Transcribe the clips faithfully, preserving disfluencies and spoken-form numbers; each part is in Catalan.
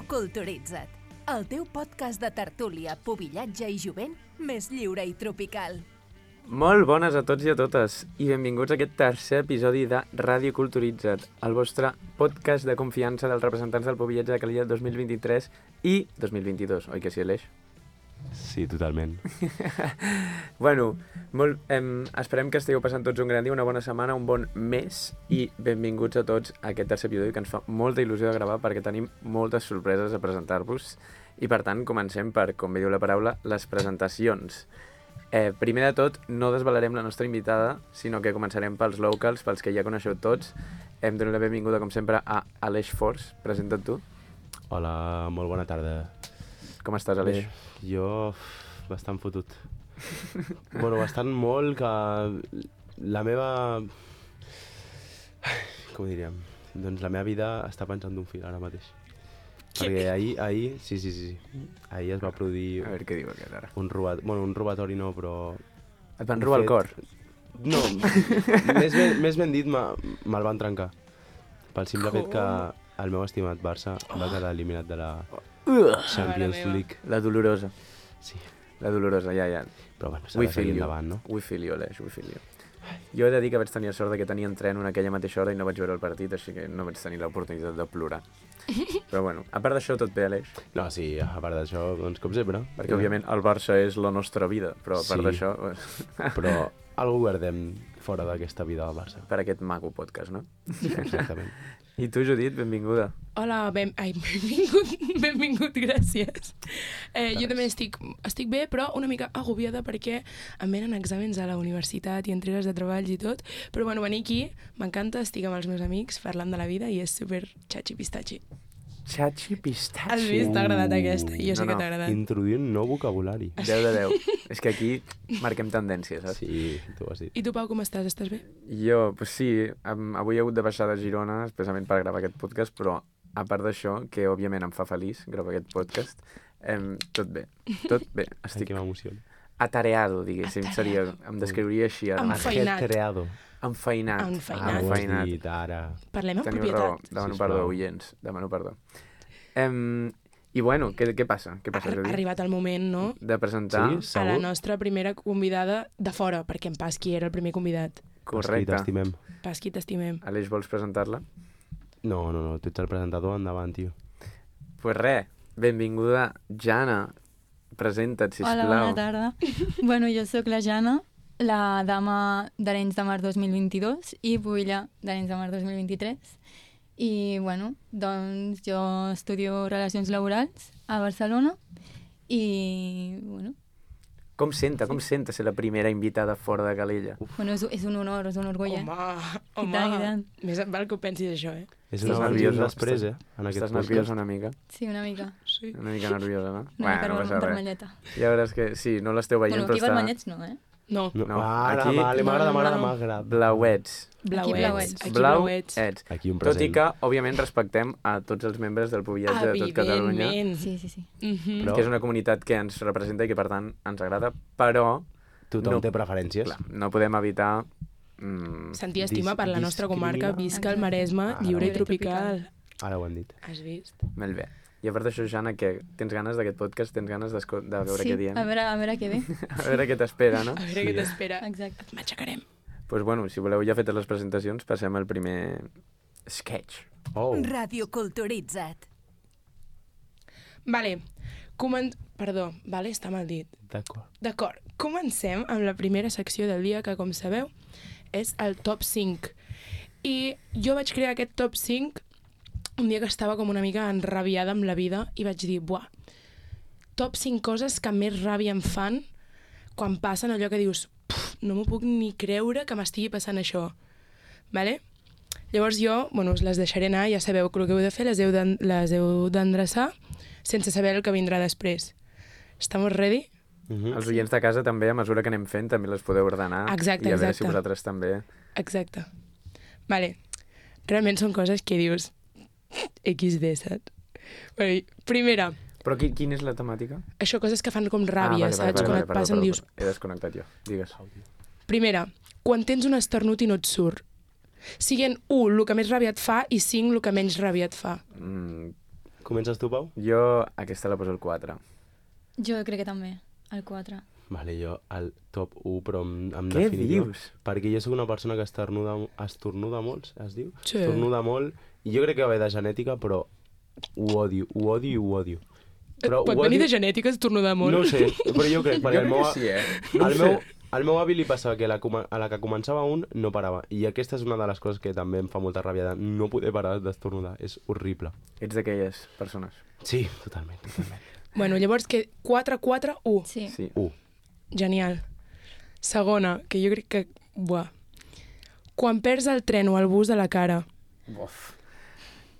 Ràdio Culturitza't, el teu podcast de tertúlia, pubillatge i jovent més lliure i tropical. Molt bones a tots i a totes i benvinguts a aquest tercer episodi de Ràdio Culturitza't, el vostre podcast de confiança dels representants del pubillatge de Calella dos mil vint-i-tres i dos mil vint-i-dos, oi que sí, Aleix? Sí, totalment. Bueno, molt, em, esperem que estigueu passant tots un gran dia, una bona setmana, un bon mes i benvinguts a tots a aquest tercer episodi que ens fa molta il·lusió de gravar perquè tenim moltes sorpreses a presentar-vos i per tant comencem per, com bé diu la paraula, les presentacions. Eh, primer de tot, no desvelarem la nostra invitada, sinó que començarem pels locals, pels que ja coneixeu tots. Hem donat la benvinguda, com sempre, a Aleix Forç. Presenta't tu. Hola, molt bona tarda. Com estàs, Aleix? Bé, jo bastant fotut. Bueno, bastant molt que la meva... Com ho diríem? Doncs la meva vida està pensant d'un fil ara mateix. Perquè ahir, ahir, sí, sí, sí, sí. Ahir es va produir A veure què diu aquest ara. un robatori, bueno, un robatori no, però... Et van robar el cor? No, més, ben, més ben dit, me- me'l van trencar. Pel simple fet que el meu estimat Barça va quedar eliminat de la Champions League. La dolorosa. Sí, La dolorosa, ja, ja. però bueno, s'ha We de feel seguir you. endavant, no? We feel you, Aleix, we feel you. Jo he de dir que vaig tenir sort de que tenia entreno en aquella mateixa hora i no vaig veure el partit, així que no vaig tenir l'oportunitat de plorar. Però bueno, a part d'això tot bé, Aleix? No, sí, a part d'això, doncs com sempre. Perquè òbviament el Barça és la nostra vida, però a part Sí. d'això, Però algú guardem fora d'aquesta vida del Barça. per aquest maco podcast, no? Exactament. I tu, Judit, benvinguda. Hola, ben... Ai, benvingut, benvingut, gràcies. Eh, jo també estic, estic bé, però una mica agobiada perquè em venen exàmens a la universitat i entregues de treballs i tot, però bueno, venir aquí m'encanta, estic amb els meus amics parlant de la vida i és super xachi-pistachi. Xachi pistachi. Has vist? T'ha agradat aquesta? Jo sé No, que no. t'ha agradat. Introduir un nou vocabulari. deu de deu. És que aquí marquem tendències, saps? Sí, tu ho has dit. I tu, Pau, com estàs? Estàs bé? Jo, pues sí, am- avui he hagut de baixar de Girona expressament per gravar aquest podcast, però a part d'això, que òbviament em fa feliç gravar aquest podcast, em, tot bé, tot bé. Ai, Estic que m'emociona. atareado, diguéssim, seria, em descriuria així ara. Amb mateix. Enfeinat. Ajetreado. Enfeinat. Enfeinat. Ah, ho has Enfeinat. dit ara. Parlem amb Teniu raó, propietat. demano Sisplau. perdó, oients, demano perdó. Em, I bueno, què, què passa? Què Ha passa, ha Judit? arribat el moment, no?, De presentar... Sí? a la Segur? nostra primera convidada de fora, perquè en Pasqui era el primer convidat. Correcte. T'estimem. Pasqui, t'estimem. Aleix, vols presentar-la? No, no, no, tu ets el presentador, endavant, tio. Pues res, benvinguda, Jana. Presenta't, sisplau. Hola, bona tarda. Bueno, jo sóc la Jana, la dama d'Arenys de Mar dos mil vint-i-dos i pubilla d'Arenys de Mar dos mil vint-i-tres. I, bueno, doncs jo estudio Relacions Laborals a Barcelona i, bueno, Com senta, com senta ser la primera invitada fora de Calella? bueno és, és un honor, és un orgull, eh? Home, I home. tant, i tant. Més et val que ho pensis, això, eh? És Estàs un abans i un nerviosa? després, eh? Estàs- En aquest Estàs podcast. nerviosa una mica? Sí, una mica. Sí. Una mica nerviosa, no? Una mica no passa res. vermelleta. Ja veuràs que sí, no l'esteu veient, Bueno, però aquí està vermellets no, eh? No, No, No, ara, aquí- vale, m'agrada, No, no, m'agrada, no. m'agrada. blauets. blauets. blauets. Aquí Blau, blauets. ets. Aquí un Tot present. i que, òbviament, respectem a tots els membres del pubillatge de tot Catalunya, Evidentment. Sí, sí, sí. Mhm. Però- que és una comunitat que ens representa i que, per tant, ens agrada, però, Tothom no- té preferències. clar, no podem evitar... Mm, Sentir estima Dis- per la nostra comarca, discriminar. visca el Maresme, Ara lliure i ho he tropical. Ara ho han dit. Has vist? molt bé. I a part d'això, Jana, que tens ganes d'aquest podcast? Tens ganes d'esco- de veure Sí, què diem? a veure, a veure què ve. A veure què t'espera, no? A veure què t'espera. Exacte. Et matxacarem. Doncs bueno, si voleu ja fetes les presentacions, passem al primer sketch. Oh, Ràdio Culturitza't. Vale, comen... Perdó, vale, està mal dit. d'acord. D'acord, comencem amb la primera secció del dia, que, com sabeu, és el top cinc. I jo vaig crear aquest top cinc un dia que estava com una mica enrabiada amb la vida i vaig dir, buah, top cinc coses que més ràbia em fan quan passen allò que dius, "Puf, no m'ho puc ni creure que m'estigui passant això. Vale? Llavors jo, bueno, us les deixaré anar, ja sabeu que el que heu de fer, les heu d'en- les heu d'endreçar sense saber el que vindrà després. Estamos ready? Mhm. Els oients de casa també, a mesura que anem fent, també les podeu ordenar. Exacte, I a veure exacte. si vosaltres també... Exacte. Vale. Realment són coses que dius equis de, saps? Bueno, i primera, Però qui, quina és la temàtica? això coses que fan com ràbia, ah, vale, saps? vale, vale, Quan vale, et perdó, passen perdó, dius... He desconnectat jo. Digues. Primera, quan tens un esternut i no et surt. Siguen u, el que més ràbia et fa, i cinc, el que menys ràbia et fa. Mm, Comences tu, Pau? Jo aquesta la poso al quatre. Jo crec que també, el quatre. Vale, jo al top u, però en, en Què definitiva... dius? Perquè jo sóc una persona que estornuda, estornuda molt, es diu? Sí. Estornuda molt, i jo crec que va de genètica, però ho odio, ho odio i ho odio. Però Pot ho venir odio- de genètica estornudar molt? No ho sé, però jo crec, perquè Jo el crec meu, que sí, eh? No ho el sé. meu, al meu avi li passava que la, coma- a la que començava un no parava. I aquesta és una de les coses que també em fa molta ràbia, de no poder parar d'estornudar. És horrible. Ets d'aquelles persones. Sí, totalment, totalment. Bueno, llavors que quatre quatre u. Sí. Sí. Uh, Genial. Segona, que jo crec que... Buah. Quan perds el tren o el bus de la cara. Uf.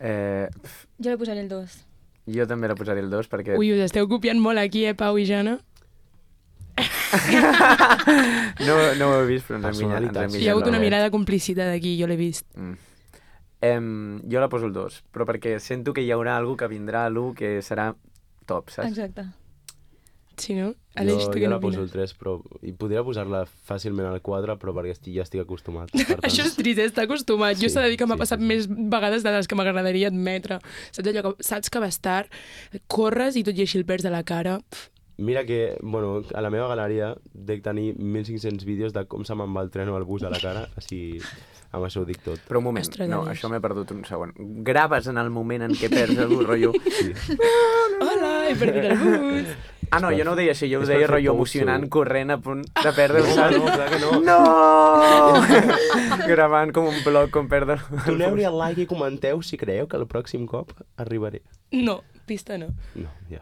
Eh, pf, Jo li posaré el dos. jo també la posaré el dos perquè... Ui, us esteu copiant molt aquí, eh, Pau i Jana? No, no ho he vist, però ens hem guinyat. Ens hem Personalitats. Hi ha hagut guinyat una la mirada de complicitat aquí, jo l'he vist. Mm. Em, jo la poso el dos, però perquè sento que hi haurà algú que vindrà a l'u que serà top, saps? Exacte. Sí, no? jo, Aleix, tu jo què la poso el n'opines? tres, però... I podria posar-la fàcilment al quatre, però perquè estic, ja estic acostumat. Per tant, Això és trist, eh? Està acostumat. Jo Sí, s'ha de dir que m'ha sí, passat sí, sí. més vegades de les que m'agradaria admetre. Saps allò que saps que va estar, corres i tot i així el perds de la cara. Pff, Mira que, bueno, a la meva galeria dec tenir mil cinc-cents vídeos de com se me'n va el tren o el bus a la cara, així amb això ho dic tot. Però un moment, Ostres, no, Aleix. això m'he perdut un segon. Graves en el moment en què perds el rotllo... Sí. Hola, he perdut el bus. Ah, no, jo no ho deia així, jo ho És per deia fer rotllo post, emocionant, segur. corrent a punt de perdre No, el no, clar que no. No! Gravant com un blog com perdre el Doneu-li el like i comenteu si creieu que el pròxim cop arribaré. No, pista no. No, ja.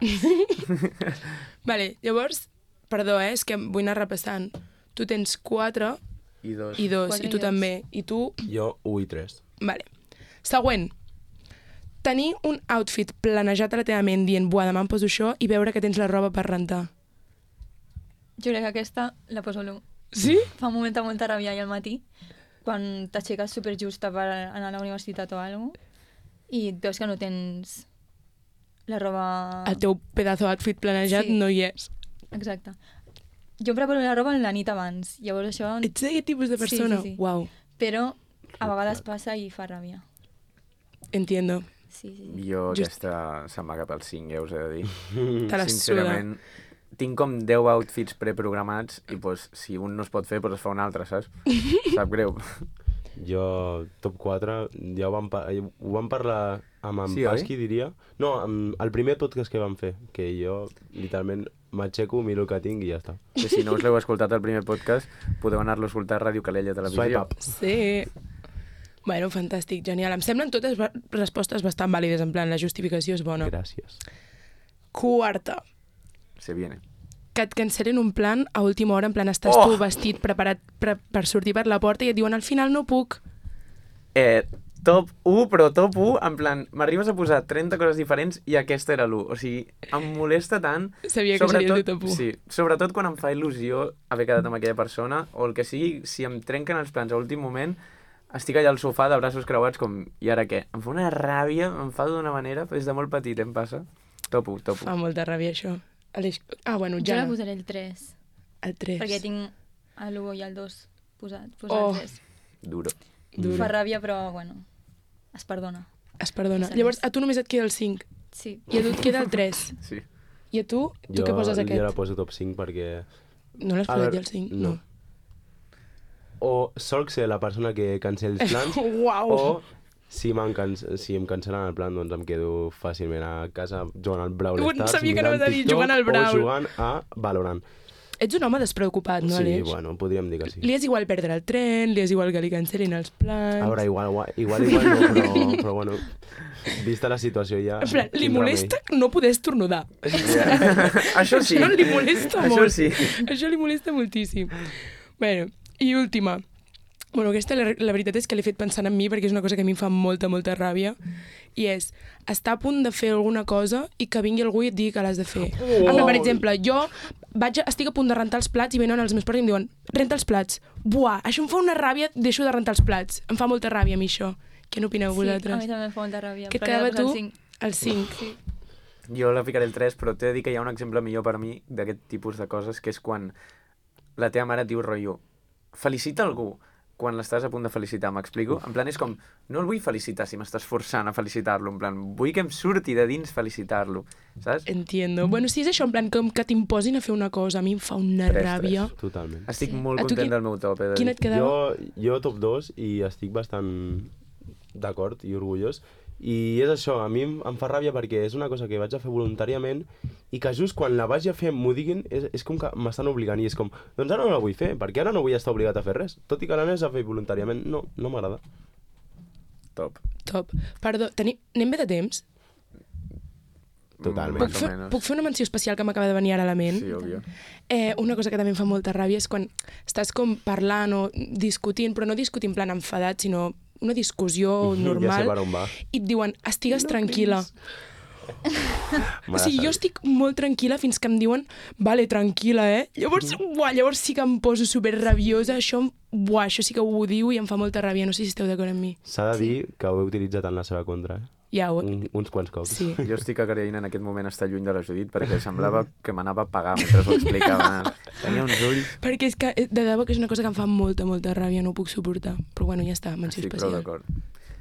Vale, llavors, perdó, eh, és que vull anar repassant. Tu tens quatre I dos. i dos, Quatre i tu i dos. també. I tu, Jo, u i tres. vale. Següent. Tenir un outfit planejat a la teva ment dient, buah, demà em poso això, i veure que tens la roba per rentar. Jo crec que aquesta la poso a l'u. Sí? Fa un moment de molta ràbia i al matí, quan t'aixeques superjusta per anar a la universitat o alguna cosa, i et veus que no tens la roba... El teu pedazo outfit planejat Sí. no hi és. Exacte. Jo em preparo la roba la nit abans, llavors això... Ets d'aquest tipus de Sí, sí, persona? sí. Uau, Però a vegades passa i fa ràbia. entiendo. Sí, sí, sí. Jo Just- aquesta se'm va cap al cinc, ja us he de dir. Te la suda. Sincerament, tinc com deu outfits preprogramats i pues, si un no es pot fer, pues es fa un altre, saps? Sap greu. Jo, top quatre, ja ho vam, pa ho vam parlar amb en Sí, oi? Pasqui, diria. No, amb el primer podcast que vam fer, que jo, literalment, m'aixeco, miro el que tinc i ja està. Que si no us l'heu escoltat al primer podcast, podeu anar-lo a escoltar a Ràdio Calella Televisió. Swipe up. Sí. Bueno, fantàstic, genial. Em semblen totes ba- respostes bastant vàlides, en plan, la justificació és bona. Gràcies. Quarta. Se viene. Que et cancel·len un plan a última hora, en plan, estàs Oh! tu vestit, preparat per, per sortir per la porta i et diuen, al final no puc. Eh, top u, però top u, en plan, m'arribes a posar trenta coses diferents i aquesta era l'u. O sigui, em molesta tant... Sabia que seria el teu top u. Sí, sobretot quan em fa il·lusió haver quedat amb aquella persona, o el que sigui, si em trenquen els plans a últim moment, estic allà al sofà de braços creuats com, i ara què? Em fa una ràbia, em fa d'una manera, des de molt petit em passa. Top u, top u. Fa molta ràbia, això. Aleix... Ah, bueno, Jo la Jana, posaré el tres, el tres. perquè tinc l'u i el dos posat. posat Oh. el tres. Duro. Duro. Fa ràbia, però, bueno, es perdona. Es perdona. Passa Llavors, res. a tu només et queda el cinc, Sí. i a tu et queda el tres. Sí. I a tu, tu Jo, què poses jo aquest? la poso top cinc perquè... No l'has A posat veure, ja el cinc? no. O solc ser la persona que cancel els plans, Uau! o si, can si em cancel·len el plan, doncs em quedo fàcilment a casa jugant al Brawl Ui, Stars, sabia que mirant anaves a dir TikTok jugant al Brawl. o jugant a Valorant. Ets un home despreocupat, no, sí, Aleix? bueno, podríem dir que sí. Li és igual perdre el tren, li és igual que li cancel·lin els plans... A veure, igual, igual, igual no, però, però bueno, vista la situació ja... En plan, li quin molesta no poder estornudar. Això sí. Això li molesta Això molt. sí. Això li molesta moltíssim. Bueno, i última. Bueno, aquesta la, la veritat és que l'he fet pensant en mi perquè és una cosa que a mi em fa molta, molta ràbia. I és estar a punt de fer alguna cosa i que vingui algú i et digui que l'has de fer. Oh. En plan, per exemple, jo vaig a, estic a punt de rentar els plats i venen els meus pares i em diuen renta els plats. Buah, això em fa una ràbia, deixo de rentar els plats. Em fa molta ràbia a mi això. Què n'opineu Sí, a vosaltres? mi també em fa molta ràbia. Què et però quedava li he de posar tu? el cinc. El cinc. Sí. Jo la ficaré el tres, però t'he de dir que hi ha un exemple millor per mi d'aquest tipus de coses, que és quan la teva mare et diu rotllo, felicita algú, quan l'estàs a punt de felicitar, m'explico? En plan, és com, no el vull felicitar si m'estàs forçant a felicitar-lo, en plan, vull que em surti de dins felicitar-lo, saps? Entiendo. Bueno, si és això, en plan, com que t'imposin a fer una cosa, a mi em fa una Tres, ràbia. Totalment. Estic Sí. molt A tu content qui- del meu top, he de Quin dir. et quedava? Jo, jo top dos i estic bastant d'acord i orgullós. I és això, a mi em em fa ràbia perquè és una cosa que vaig a fer voluntàriament i que just quan la vagi a fer m'ho diguin, és, és com que m'estan obligant i és com, doncs ara no la vull fer, perquè ara no vull estar obligat a fer res. Tot i que l'anés a fer voluntàriament, no, no m'agrada. Top. Top. Perdó, teni... anem bé de temps? Totalment. Puc Més o fer, menys. puc fer una menció especial que m'acaba de venir ara a la ment? Sí, òbvio. Eh, una cosa que també em fa molta ràbia és quan estàs com parlant o discutint, però no discutint en plan enfadat, sinó una discussió Ja sé normal, per on va. i et diuen, estigues tranquil·la. Me O la sigui, jo sabia. estic molt tranquil·la fins que em diuen, vale, tranquil·la, eh? Llavors, buah, llavors sí que em poso super rabiosa, això, em- buah, això sí que ho odio i em fa molta ràbia, no sé si esteu d'acord amb mi. S'ha de dir que ho he utilitzat en la seva contra, eh? Ja ho... Un, uns quants cops. Sí. Jo estic agraint en aquest moment estar lluny de la Judit perquè semblava que m'anava a pagar mentre ho explicava. Tenia uns ulls... Perquè és que, eh, de debò que és una cosa que em fa molta, molta ràbia, no ho puc suportar. Però bueno, ja està, menció Estic prou especial. d'acord.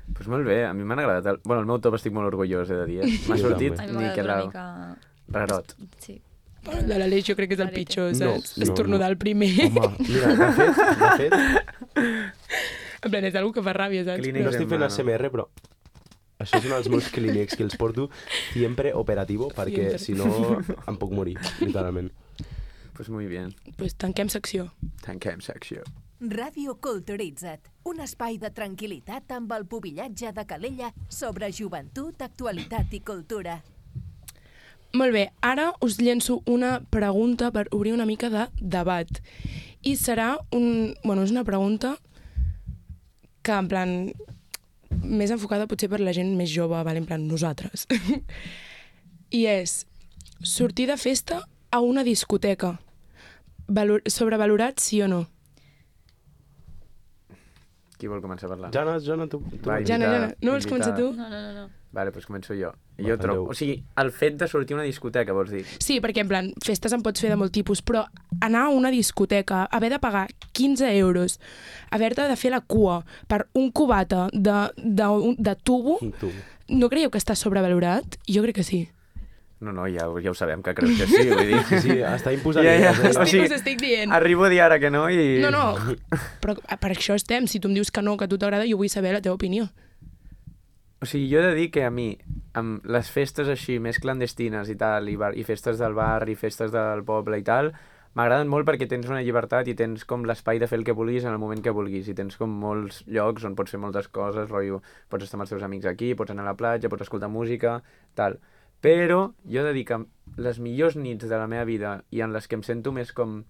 Doncs pues molt bé, a mi m'han agradat. El... Bueno, el meu top estic molt orgullós, he de dir. Eh? M'ha Jo sortit també. A mi m'ha Miquel agradat una mica... Rarot. Sí. El de l'Aleix jo crec que és el Rarete. pitjor, No, saps? no, Estornudar no. el primer. Home, mira, de fet, de fet, En plan, és algo que fa ràbia, saps? Clínic. no Però... estic fent A S M R, però això és un dels meus clínics que els porto sempre operativo, perquè Siempre. si no em puc morir, literalment. Pues muy bien. Pues tanquem secció. Tanquem secció. Ràdio Culturitza't, un espai de tranquil·litat amb el pubillatge de Calella sobre joventut, actualitat i cultura. Molt bé, ara us llenço una pregunta per obrir una mica de debat. I serà un... Bueno, és una pregunta que, en plan, més enfocada potser per la gent més jove, vale? En plan, nosaltres. I és sortir de festa a una discoteca. Valor... Sobrevalorat, sí o no? Qui vol començar a parlar? Jana, Jana, tu... tu... Va, Jana, invitada, Jana, no vols començar tu? No, no, no, no. Vale, doncs començo jo. Va, Jo trobo... endeu. O sigui, el fet de sortir a una discoteca, vols dir? Sí, perquè en plan, festes en pots fer de molt tipus, però anar a una discoteca, haver de pagar quinze euros, haver-te de fer la cua per un cubata de, de, de tubo, Tu. no creieu que està sobrevalorat? Jo crec que sí. No, no, ja, ho- ja ho sabem que creus que sí, vull dir... Sí, sí, està imposant. Ja, ja. idees, O eh? sigui, us estic dient. Arribo a dir ara que no i... No, no, però per això estem. Si tu em dius que no, que a tu t'agrada, jo vull saber la teva opinió. O sigui, jo he de dir que a mi, amb les festes així més clandestines i tal, i, bar, i festes del bar, i festes del poble i tal, m'agraden molt perquè tens una llibertat i tens com l'espai de fer el que vulguis en el moment que vulguis, i tens com molts llocs on pots fer moltes coses, rotllo, pots estar amb els teus amics aquí, pots anar a la platja, pots escoltar música, tal. Però jo he de dir que les millors nits de la meva vida i en les que em sento més com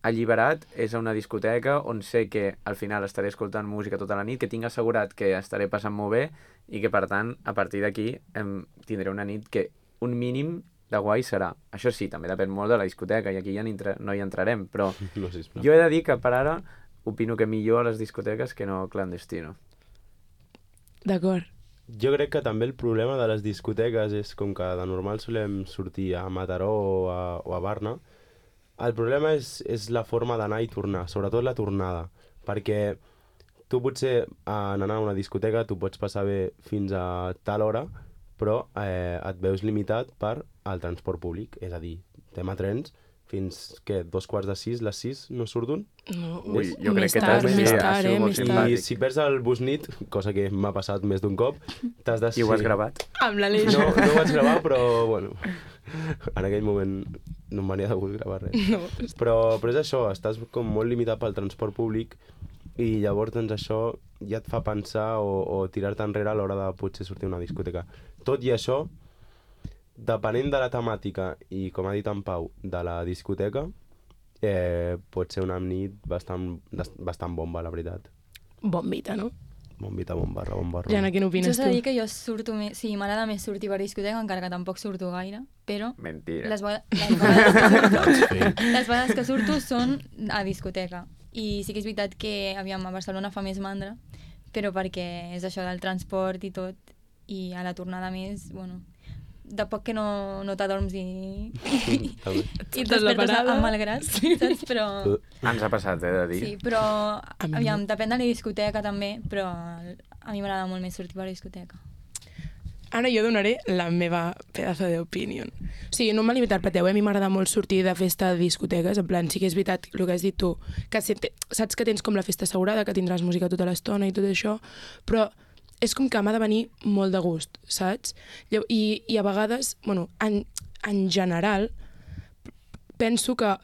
alliberat és a una discoteca on sé que al final estaré escoltant música tota la nit, que tinc assegurat que estaré passant molt bé i que per tant a partir d'aquí em tindré una nit que un mínim de guai serà. Això sí, també depèn molt de la discoteca i aquí ja entra, no hi entrarem, però No, sisplau. jo he de dir que per ara opino que millor a les discoteques que no clandestino. D'acord. Jo crec que també el problema de les discoteques és com que de normal solem sortir a Mataró o a, o a Barna. El problema és, és la forma d'anar i tornar, sobretot la tornada, perquè tu potser en anar a una discoteca tu pots passar bé fins a tal hora, però eh, et veus limitat per al transport públic, és a dir, tema trens, fins, què, dos quarts de sis, les sis no surt un? No, Ui, jo més crec que tard, t'has més de- tard, ha sigut eh, molt més simpàtic. tard. I si perds el bus nit, cosa que m'ha passat més d'un cop, t'has de... I ho has sí. gravat? Amb l'Aleix. No, no ho vaig gravar, però, bueno, en aquell moment no em venia de gust gravar res. No. Però, però és això, estàs com molt limitat pel transport públic i llavors doncs això ja et fa pensar o, o tirar-te enrere a l'hora de potser sortir a una discoteca. Tot i això, depenent de la temàtica i, com ha dit en Pau, de la discoteca, eh, pot ser una nit bastant, bastant bomba, la veritat. Bombita, no? Bombita, bon barra, bon barra. Jana, què Jo n'opines s'ha tu? de dir que jo surto més... Sí, m'agrada més sortir per discoteca, encara que tampoc surto gaire, però Mentira. les, vegades, les, vegades que surto, les vegades que surto són a discoteca. I sí que és veritat que, aviam, a Barcelona fa més mandra, però perquè és això del transport i tot, i a la tornada més, bueno, de poc que no, no t'adorms i, i, També. i et despertes amb mal gras, saps? Però... Ens ha passat, eh, de dir. Sí, però, mi aviam, depèn de la discoteca també, però a mi m'agrada molt més sortir per la discoteca. Ara jo donaré la meva pedazo d'opinió. O sigui, no me l'interpreteu, eh? A mi m'agrada molt sortir de festa de discoteques, en plan, sí que és veritat el que has dit tu, que saps que tens com la festa assegurada, que tindràs música tota l'estona i tot això, però és com que m'ha de venir molt de gust, saps? I, i a vegades, bueno, en, en general, penso que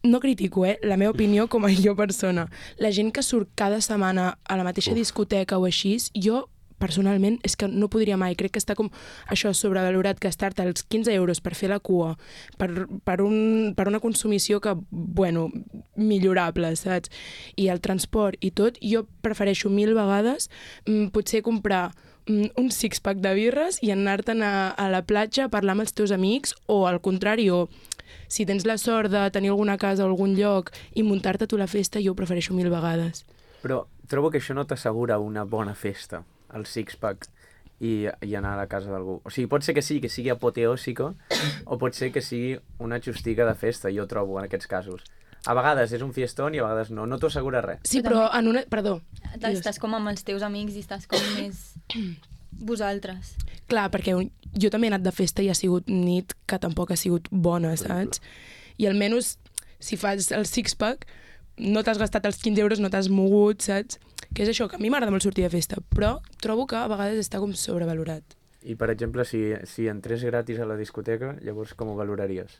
no critico, eh, la meva opinió com a jo persona. La gent que surt cada setmana a la mateixa Uf. discoteca o així, jo personalment és que no podria mai. Crec que està com això sobrevalorat, gastar-te els quinze euros per fer la cua, per, per, un, per una consumició que, bueno, millorable, saps? I el transport i tot, jo prefereixo mil vegades mm, potser comprar mm, un six-pack de birres i anar-te'n a, a la platja a parlar amb els teus amics, o al contrari, o si tens la sort de tenir alguna casa o algun lloc i muntar-te tu la festa, jo ho prefereixo mil vegades. Però trobo que això no t'assegura una bona festa, el six-pack, i, i anar a la casa d'algú. O sigui, pot ser que sí, que sigui apoteòsica, o pot ser que sigui una xustica de festa, jo trobo, en aquests casos. A vegades és un fiestón i a vegades no, no t'ho assegura res. Sí, però en una... Perdó. Estàs com amb els teus amics i estàs com més vosaltres. Clar, perquè jo també he anat de festa i ha sigut nit que tampoc ha sigut bona, saps? I almenys, si fas el six-pack, no t'has gastat els quinze euros, no t'has mogut, saps? Que és això, que a mi m'agrada molt sortir de festa, però trobo que a vegades està com sobrevalorat. I, per exemple, si, si entrés gratis a la discoteca, llavors com ho valoraries?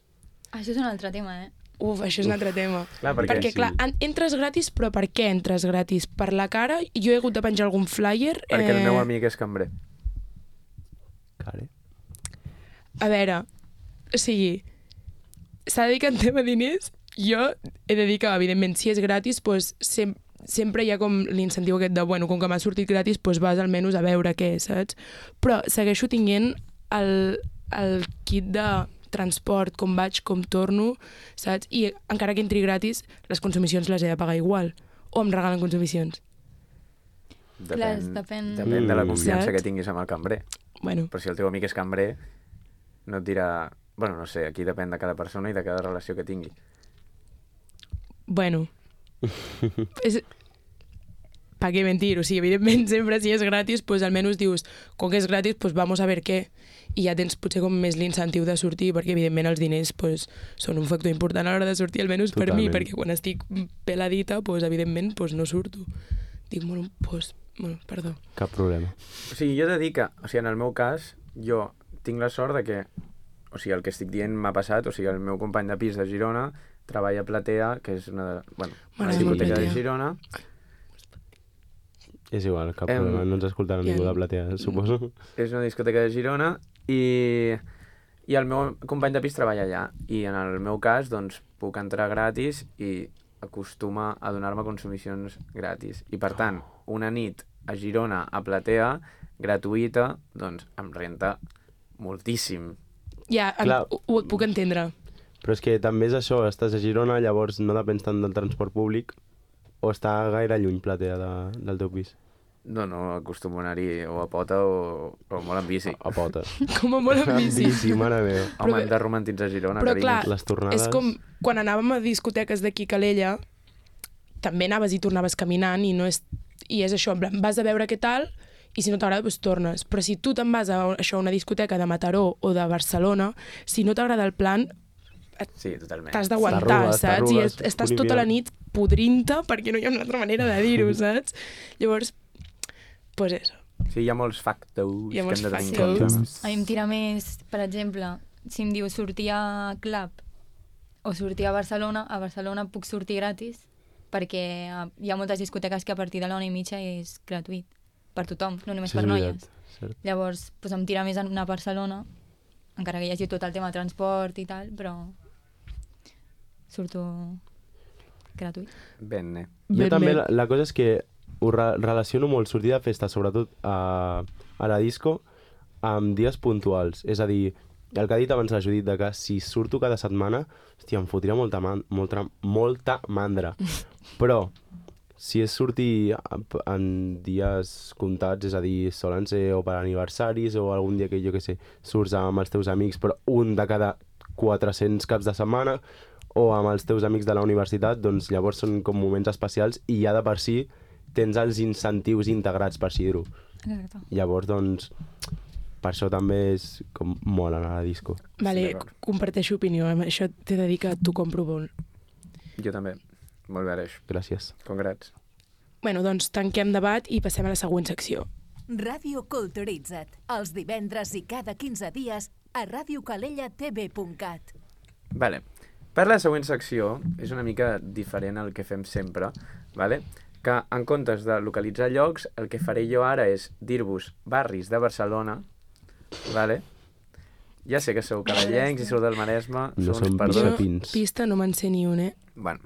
Això és un altre tema, eh? Uf, això és un altre tema. Clar, perquè, Perquè, sí. clar, en- entres gratis, però per què entres gratis? Per la cara? Jo he hagut de penjar algun flyer. perquè el meu amic és cambrer. Care. A veure, o sigui, s'ha de dir que en tema diners, jo he de dir que, evidentment, si és gratis, doncs, sem sempre hi ha com l'incentiu aquest de, bueno, com que m'ha sortit gratis, doncs vas almenys a veure què, saps? Però segueixo tinguent el, el kit de transport, com vaig, com torno, saps? I encara que entri gratis, les consumicions les he de pagar igual. O em regalen consumicions. Depèn, Clar, depèn- depèn de la confiança Saps? que tinguis amb el cambrer. Bueno, Però si el teu amic és cambrer, no et dirà... Bueno, no sé, aquí depèn de cada persona i de cada relació que tingui. bueno. és... ¿Para qué mentir? O sigui, evidentment, sempre si és gratis, pues almenys dius, com que és gratis, pues vamos a ver què. I ja tens potser com més l'incentiu de sortir, perquè evidentment els diners pues, són un factor important a l'hora de sortir, almenys per mi, Totalment. perquè quan estic peladita, pues, evidentment, pues, no surto. Dic, bueno, pues, bueno, perdó. Cap problema. O sigui, jo he de dir que, o sigui, en el meu cas, jo tinc la sort de que, o sigui, el que estic dient m'ha passat, o sigui, el meu company de pis de Girona treballa a Platea, que és una, de- bueno, una M'agrada molt discoteca de Platea. Girona. És igual, cap Em, problema. No ens escoltarà ja. ningú de Platea, suposo. És una discoteca de Girona i, i el meu company de pis treballa allà. I en el meu cas, doncs, puc entrar gratis i acostuma a donar-me consumicions gratis. I, per tant, una nit a Girona, a Platea, gratuïta, doncs, em renta moltíssim. Ja, em, Clar. ho, ho puc entendre. Però és que també és això, estàs a Girona, llavors no depens tant del transport públic, o està gaire lluny Platea de, del teu pis? No, no, acostumo a anar-hi o a pota o, o molt en bici. A pota. Com a molt amb bici. Sí, mare meva. Home, Però- hem de romantitzar Girona, però carinyo. clar, Les tornades... És com quan anàvem a discoteques d'aquí a Calella, també anaves i tornaves caminant i no és, i és això, en plan, vas a veure què tal i si no t'agrada, doncs tornes. Però si tu te'n vas a, això, a una discoteca de Mataró o de Barcelona, si no t'agrada el plan, Sí, totalment. t'has d'aguantar, T'arrugues, saps? I t'arrugues, est estàs punt i tota la final. nit podrint-te perquè no hi ha una altra manera de dir-ho, saps? Llavors, pues eso. Sí, hi ha molts factors Hi ha molts que hem de tenir en factors. compte. A mi em tira més, per exemple, si em diu sortir a club o sortir a Barcelona, a Barcelona puc sortir gratis perquè eh, hi ha moltes discoteques que a partir de la una i mitja és gratuït per tothom, no només Això per és noies. veritat, cert. Llavors, doncs em tira més anar a Barcelona, encara que hi hagi tot el tema de transport i tal, però surto gratuït. Bene. Jo Ben, també, ben. la, la cosa és que ho re relaciono molt sortir de festa, sobretot a, a la disco, amb dies puntuals. És a dir, el que ha dit abans la Judit, de que si surto cada setmana, hòstia, em fotria molta, man molta, molta mandra. Però, si és sortir en dies comptats, és a dir, solen ser o per aniversaris o algun dia que, jo què sé, surts amb els teus amics, però un de cada quatre-cents caps de setmana, o amb els teus amics de la universitat, doncs llavors són com moments especials i ja de per si tens els incentius integrats, per així dir-ho. Exacte. Llavors, doncs, per això també és com molt anar a la disco. Vale, d'acord. comparteixo opinió, amb això t'he de dir que t'ho compro molt. Jo també. Molt bé, Aleix. Gràcies. Congrats. Bueno, doncs tanquem debat i passem a la següent secció. Ràdio Culturitza't, els divendres i cada quinze dies a radio calella t v punt cat. Vale. Per la següent secció, és una mica diferent al que fem sempre, vale? Que en comptes de localitzar llocs, el que faré jo ara és dir-vos barris de Barcelona, vale? Ja sé que sou cadellencs i sou del Maresme, No sou uns som perdons. Pins. Pista no me'n sé ni un, eh? Bueno,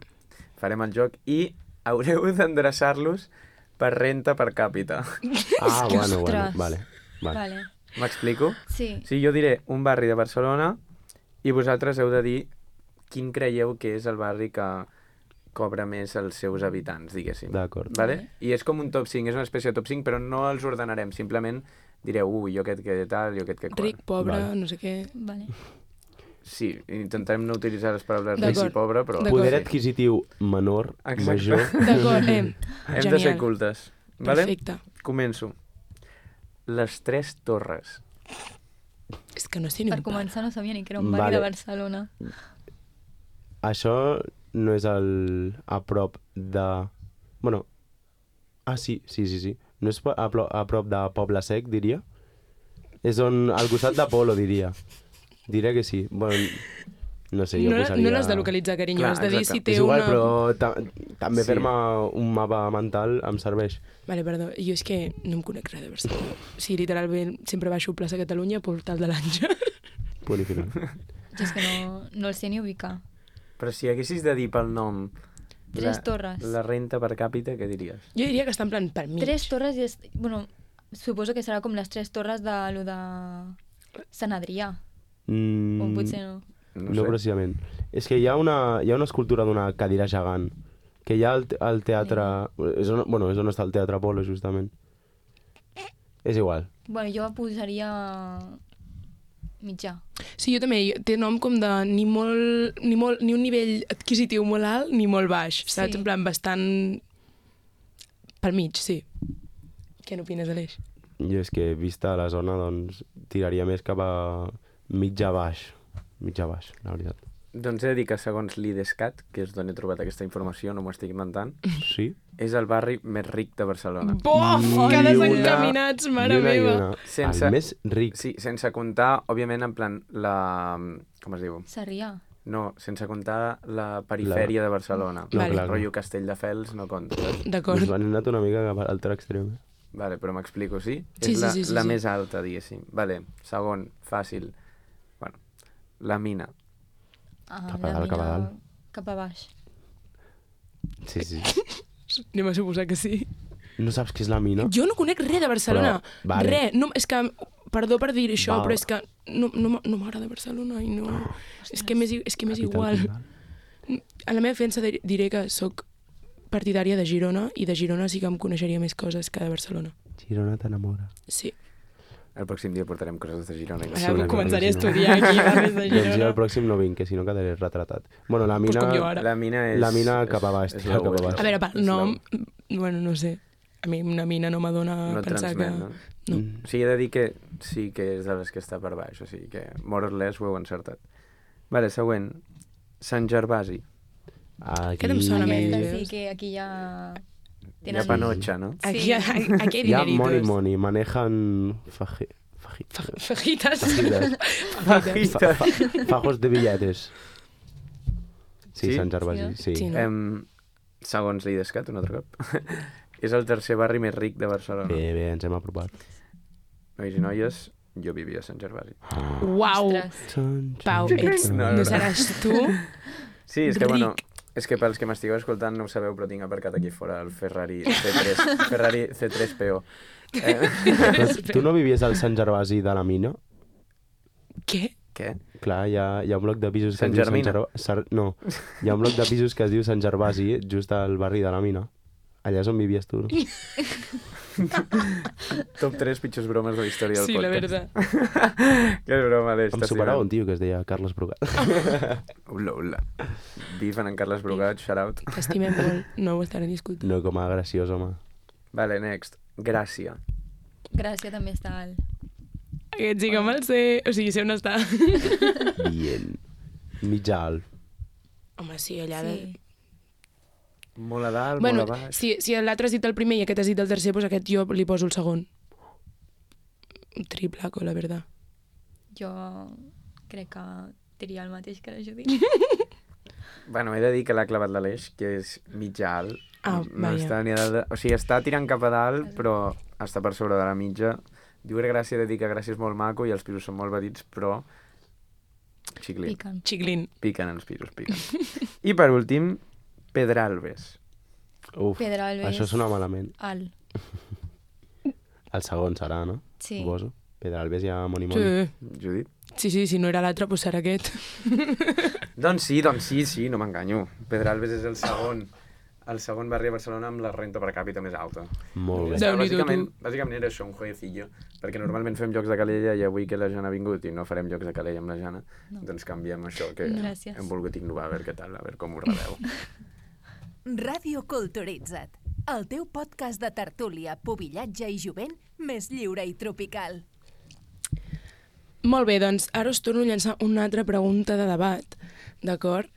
farem el joc i haureu d'endreçar-los per renta per càpita. Ah, bueno, bueno, Ostres. vale. vale. Vale. M'explico? Sí. Sí, jo diré un barri de Barcelona i vosaltres heu de dir quin creieu que és el barri que cobra més els seus habitants, diguéssim. D'acord. Vale? I és com un top cinc, és una espècie de top cinc, però no els ordenarem, simplement direu, ui, jo aquest que tal, jo aquest que qual. Ric, pobre, Vale. no sé què... Vale. Sí, intentarem no utilitzar les paraules ric D'acord. i pobre, però... D'acord. Poder Sí. adquisitiu menor, Exacte. major... D'acord, eh, Hem de ser genial. cultes. Vale? Perfecte. Començo. Les Tres Torres. És que no sé ni Per un pam. començar no sabia ni que era un barri Vale. de Barcelona. Això no és el... a prop de... Bueno... Ah, sí, sí, sí, sí. No és a, pro... a prop de Poble Sec, diria? És on... al costat d'Apolo, diria. Diré que sí. Bueno, no sé, jo No, posaria... no l'has de localitzar, carinyo, Clar, has de dir exacte. si té És igual, una... però ta també Sí. fer-me un mapa mental em serveix. Vale, perdó, jo és que no em conec res de Barcelona. Sí, literalment, sempre baixo a plaça Catalunya, Portal de l'Àngel. Punt i final. Jo és que no, no el sé ni ubicar. Però si haguessis de dir pel nom... Tres la, torres. La renta per càpita, què diries? Jo diria que està en plan per mig. Tres torres i... És, bueno, suposo que serà com les tres torres de lo de Sant Adrià. Mm, O potser no. No, no sé. precisament. És que hi ha una, hi ha una escultura d'una cadira gegant, que hi ha al, al teatre... És on, bueno, és on està el Teatre Apolo, justament. És igual. Bueno, jo posaria mitjà. Sí, jo també. Té nom com de ni molt, ni molt, ni un nivell adquisitiu molt alt ni molt baix. Saps? Sí. En plan, bastant pel mig, sí. Què n'opines, Aleix? Jo és que, vista la zona, doncs, tiraria més cap a mitja baix. Mitja baix, la veritat. Doncs he de dir que segons l'IDESCAT, que és d'on he trobat aquesta informació, no m'ho estic inventant, Sí? és el barri més ric de Barcelona. Bof! Que Ni desencaminats, una- mare ni una i meva! una. Sense- El més ric. Sí, sense comptar, òbviament, en plan, la... Com es diu? Sarrià. No, sense comptar la perifèria de Barcelona. No, Vale. clar, Rotllo Castelldefels no compta. saps? D'acord. Doncs han anat una mica cap a l'altre extrem. eh? Vale, però m'explico, sí? Sí, és sí, la, sí, sí, la sí. més alta, diguéssim. Vale, segon, fàcil. Bueno, la mina. Ah, Cap a la dalt, cap a mina dalt. Cap a baix. Sí, sí. Anem a suposar que sí. No saps què és la mina? Jo no conec res de Barcelona. Però, vale. Res. No, és que, perdó per dir això, Val. però és que no, no, m- no m'agrada Barcelona i no... És que m'és i- és que m'és Capital igual. Condal. A la meva defensa di- diré que sóc partidària de Girona i de Girona sí que em coneixeria més coses que de Barcelona. Girona t'enamora. Sí. El pròxim dia portarem coses de Girona. i Ara Sí, començaré a sí, no. estudiar aquí barris de Doncs jo Girona. al pròxim no vinc, que si no quedaré retratat. Bueno, la Pues mina... com jo ara. La mina és... La mina cap a baix, és tira la cap a web. baix. A veure, pel És la nom, web. bueno, no sé. A mi una mina no m'adona No pensar transmet, que... no? No. Mm. O sigui, he de dir que sí que és de les que està per baix, o sigui que more or less ho heu encertat. Vale, següent. Sant Gervasi. Aquí... Aquest em sona més, Aquesta veus? sí que aquí ja... Hi ha panotxa, no? Aquí, aquí, aquí hi Hi ha ha money dineritos. money, manejan... Faje... Faji... Fa- Fajitas. Fajitas. Fajitas. Fa, fa, fajos de billetes. Sí, Sí? Sant Gervasi, sí. Sí, no? Em, segons l'IDESCAT, un altre cop, és el tercer barri més ric de Barcelona. Bé, bé, ens hem apropat. Nois i noies, jo vivia a Sant Gervasi. Uau! Ostres. Pau, ets, No, no, no, no. seràs tu? Sí, és que, Ric. bueno, és que pels que m'estigueu escoltant no ho sabeu, però tinc aparcat aquí fora el Ferrari C tres, Ferrari C tres P O. Eh, Però tu no vivies al Sant Gervasi de la mina? Què? què? Clar, hi ha, hi ha un bloc de pisos que Sant es diu Sant Germina. Gervasi... No, hi ha un bloc de pisos que es diu Sant Gervasi, just al barri de la mina. Allà és on vivies tu, no? Top tres pitjors bromes de la història del Sí, la podcast. veritat. Que broma, Aleix. Em superava un tio que es deia Carles Brugat. Ula, ula. Bif en en Carles Brugat, shout out. T'estimem molt, no ho estaré discutint. No com a graciós, home. Vale, next. Gràcia. Gràcia també està alt. Aquest sí que me'l sé, o sigui, sé on està. Bien. Mitjà alt. Home, sí, allà... De... Sí. Molt a dalt, Bueno, molt a baix. si, si l'altre has dit el primer i aquest has dit el tercer, doncs aquest jo li poso el segon. Un triplaco, la veritat. Jo crec que diria el mateix que la Judit. Bueno, he de dir que l'ha clavat l'Aleix, que és mitjà alt. Ah, no vaja. està ni a dalt, de... O sigui, està tirant cap a dalt, però està per sobre de la mitja. Diu que Gràcia, he de dir que Gràcia és molt maco i els pisos són molt petits, però... Xiclin. Piquen. Xiclin. Piquen els pisos, piquen. I per últim, Pedralbes. Uf, Pedralbes. això sona malament. Alt. El segon serà, no? Sí. Suposo. Pedralbes ja moni moni. Sí. Judit? sí, sí, si no era l'altre, doncs serà aquest. Doncs sí, doncs sí, sí, no m'enganyo. Pedralbes és el segon. El segon barri a Barcelona amb la renta per càpita més alta. Molt bé. Déu-n'hi-do, bàsicament, tu. bàsicament era això, un jueguecillo, perquè normalment fem jocs de calella i avui que la Jana ha vingut i no farem jocs de calella amb la Jana, No. doncs canviem això, que Gràcies. hem volgut innovar, a veure què tal, a veure com ho rebeu. Ràdio Culturitza't, el teu podcast de tertúlia, pubillatge i jovent més lliure i tropical. Molt bé, doncs ara us torno a llançar una altra pregunta de debat, d'acord?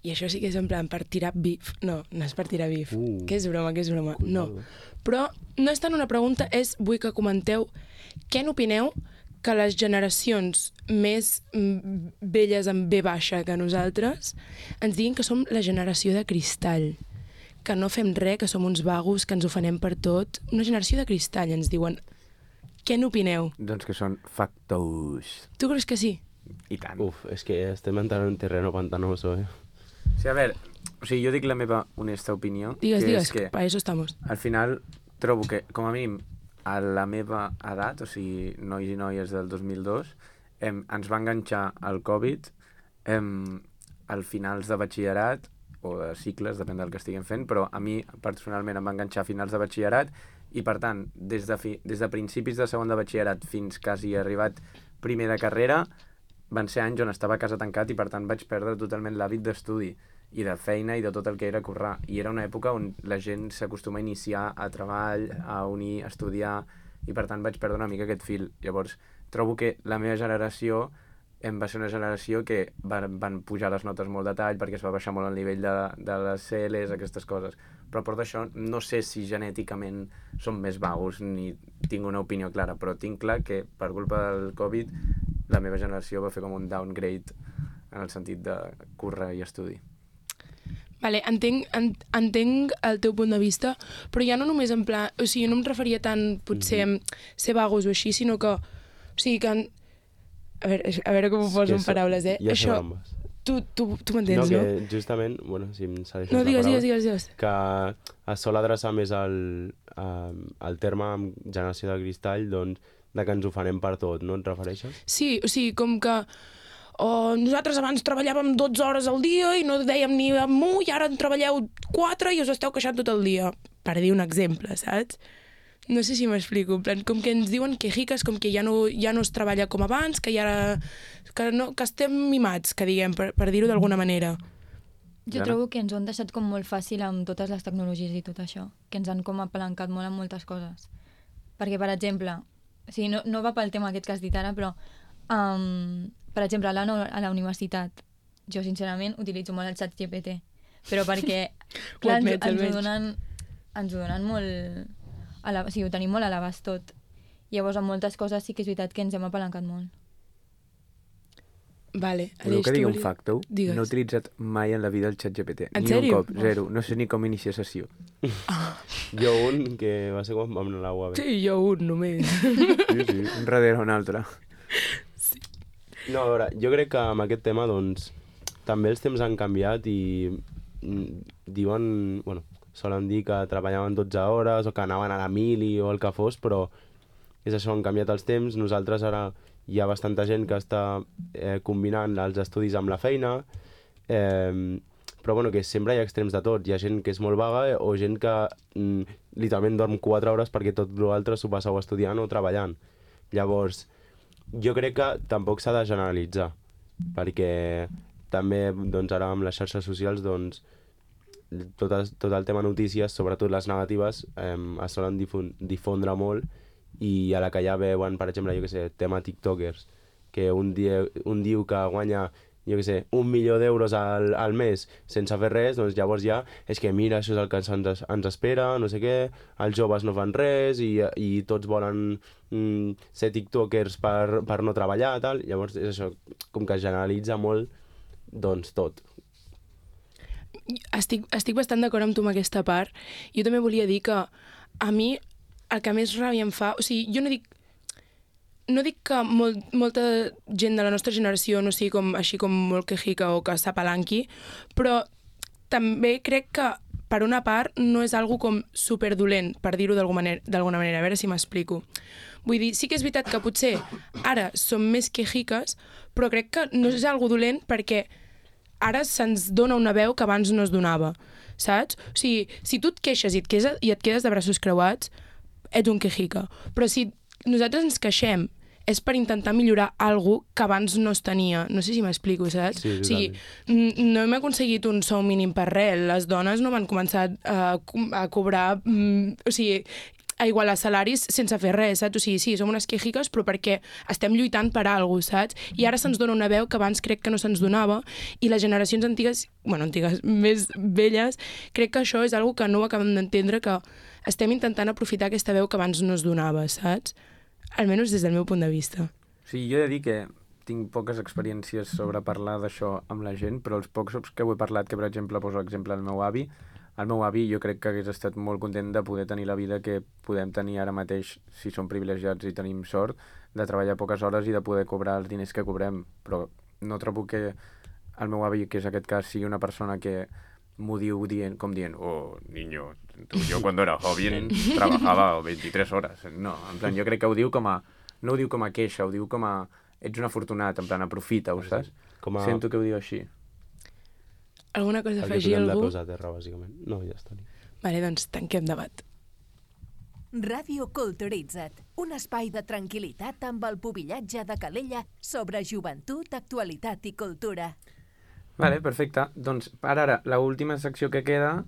I això sí que és en plan per tirar bif. No, no és per tirar bif. Uh. Que és broma, que és broma. No. Cuidado. Però no és tant una pregunta, és vull que comenteu què n'opineu que les generacions més mm, velles amb B baixa que nosaltres ens diguin que som la generació de cristall, que no fem res, que som uns vagos, que ens ofenem per tot. Una generació de cristall, ens diuen. Què n'opineu? Doncs que són factous. Tu creus que sí? I tant. Uf, és que estem entrant en un terreno pantanoso, eh? Sí, a veure, o sigui, jo dic la meva honesta opinió, Digues, que digues, és que para eso estamos. al final trobo que, com a mínim, a la meva edat, o sigui, nois i noies del dos mil dos, em, ens va enganxar el Covid em, al finals de batxillerat, o de cicles, depèn del que estiguem fent, però a mi personalment em va enganxar a finals de batxillerat i, per tant, des de, fi, des de principis de segon de batxillerat fins quasi arribat primer de carrera, van ser anys on estava a casa tancat i, per tant, vaig perdre totalment l'hàbit d'estudi i de feina i de tot el que era currar. I era una època on la gent s'acostuma a iniciar a treball, a unir, a estudiar, i per tant vaig perdre una mica aquest fil. Llavors, trobo que la meva generació em va ser una generació que van, van pujar les notes molt de tall perquè es va baixar molt el nivell de, de les C Ls, aquestes coses. Però a part d'això, no sé si genèticament som més vagos ni tinc una opinió clara, però tinc clar que per culpa del Covid la meva generació va fer com un downgrade en el sentit de córrer i estudi. Vale, entenc, en, entenc el teu punt de vista, però ja no només en plan... O sigui, no em referia tant, potser, Mhm. a ser vagos o així, sinó que... O sigui, que... En, a, veure, a veure com ho poso en Que so- paraules, eh? Ja sé Això, on vas. tu, tu, tu No, m'entens, no? que justament, bueno, si em segueixes No, la digues, paraula, digues, digues, digues. que es sol adreçar més al, a, al terme amb generació de cristall, doncs, de que ens ho farem per tot, no et refereixes? Sí, o sigui, com que... O nosaltres abans treballàvem dotze hores al dia i no dèiem ni amunt i ara en treballeu quatre i us esteu queixant tot el dia. Per dir un exemple, saps? No sé si m'explico. En plan, com que ens diuen quejiques, com que ja no, ja no es treballa com abans, que ja... Que, no, que estem mimats, que diguem, per, per dir-ho d'alguna manera. Jo Jana? trobo que ens ho han deixat com molt fàcil amb totes les tecnologies i tot això, que ens han com apalancat molt en moltes coses. Perquè, per exemple, o sigui, no, no va pel tema aquest que has dit ara, però um, per exemple, a la, a la universitat, jo sincerament utilitzo molt el xat G P T, però perquè clar, ens, admets, ens, ho almenys. donen, ens ho donen molt... A la, o sigui, ho tenim molt a l'abast tot. Llavors, amb moltes coses sí que és veritat que ens hem apalancat molt. Vale, Voleu Aleix, que digui tu un volies- facto? Digues. No he utilitzat mai en la vida el xat G P T. En ni sèrio? un cop, zero. No sé ni com iniciar sessió. Jo un que va ser quan vam anar a la U A B. Sí, jo un només. Sí, sí, un darrere un altre. No, a veure, jo crec que amb aquest tema, doncs, també els temps han canviat i mm, diuen, bueno, solen dir que treballaven dotze hores o que anaven a la mili o el que fos, però és això, han canviat els temps. Nosaltres ara hi ha bastanta gent que està eh, combinant els estudis amb la feina, eh, però bueno, que sempre hi ha extrems de tot. Hi ha gent que és molt vaga o gent que mm, literalment dorm quatre hores perquè tot l'altre s'ho passeu estudiant o treballant. Llavors, jo crec que tampoc s'ha de generalitzar, perquè també doncs, ara amb les xarxes socials doncs, tot, el, tot el tema notícies, sobretot les negatives, eh, es solen difon difondre molt i a la que ja veuen, per exemple, jo que sé, tema tiktokers, que un, dia, un diu que guanya jo què sé, un milió d'euros al, al mes sense fer res, doncs llavors ja és que mira, això és el que ens, ens espera, no sé què, els joves no fan res i, i tots volen mm, ser tiktokers per, per no treballar, tal. Llavors és això, com que es generalitza molt, doncs tot. Estic, estic bastant d'acord amb tu amb aquesta part. Jo també volia dir que a mi el que més ràbia em fa... O sigui, jo no dic No dic que molt, molta gent de la nostra generació no sigui com, així com molt quejica o que s'apalanqui, però també crec que, per una part, no és algo com superdolent, per dir-ho d'alguna manera, manera, a veure si m'explico. Vull dir, sí que és veritat que potser ara som més quejiques, però crec que no és algo dolent perquè ara se'ns dona una veu que abans no es donava, saps? O sigui, si tu et queixes i et quedes, i et quedes de braços creuats, ets un quejica. Però si nosaltres ens queixem és per intentar millorar alguna cosa que abans no es tenia. No sé si m'explico, saps? Sí, o sigui, no hem aconseguit un sou mínim per res. Les dones no van començar a, a cobrar... O sigui, a igualar salaris sense fer res, saps? O sigui, sí, som unes quejiques, però perquè estem lluitant per alguna cosa, saps? I ara se'ns dona una veu que abans crec que no se'ns donava i les generacions antigues, bueno, antigues, més velles, crec que això és una cosa que no ho acabem d'entendre, que estem intentant aprofitar aquesta veu que abans no es donava, saps? Almenys des del meu punt de vista. Sí, jo he de dir que tinc poques experiències sobre parlar d'això amb la gent, però els pocs que ho he parlat, que per exemple poso l'exemple del meu avi, el meu avi jo crec que hagués estat molt content de poder tenir la vida que podem tenir ara mateix, si som privilegiats i tenim sort, de treballar poques hores i de poder cobrar els diners que cobrem, però no trobo que el meu avi, que és aquest cas, sigui una persona que m'ho diu dient, com dient, oh, niño, tu, yo cuando era joven trabajaba veintitrés horas. No, en plan, jo crec que ho diu com a... No ho diu com a queixa, ho diu com a... Ets un afortunat, en plan, aprofita-ho, saps? Com a... Sento que ho diu així. Alguna cosa a afegir, algú? algú? El que posar a terra, bàsicament. No, ja està. Vale, doncs tanquem debat. Ràdio Culturitza't, un espai de tranquil·litat amb el pubillatge de Calella sobre joventut, actualitat i cultura. Vale, perfecte. Doncs ara, ara, l'última secció que queda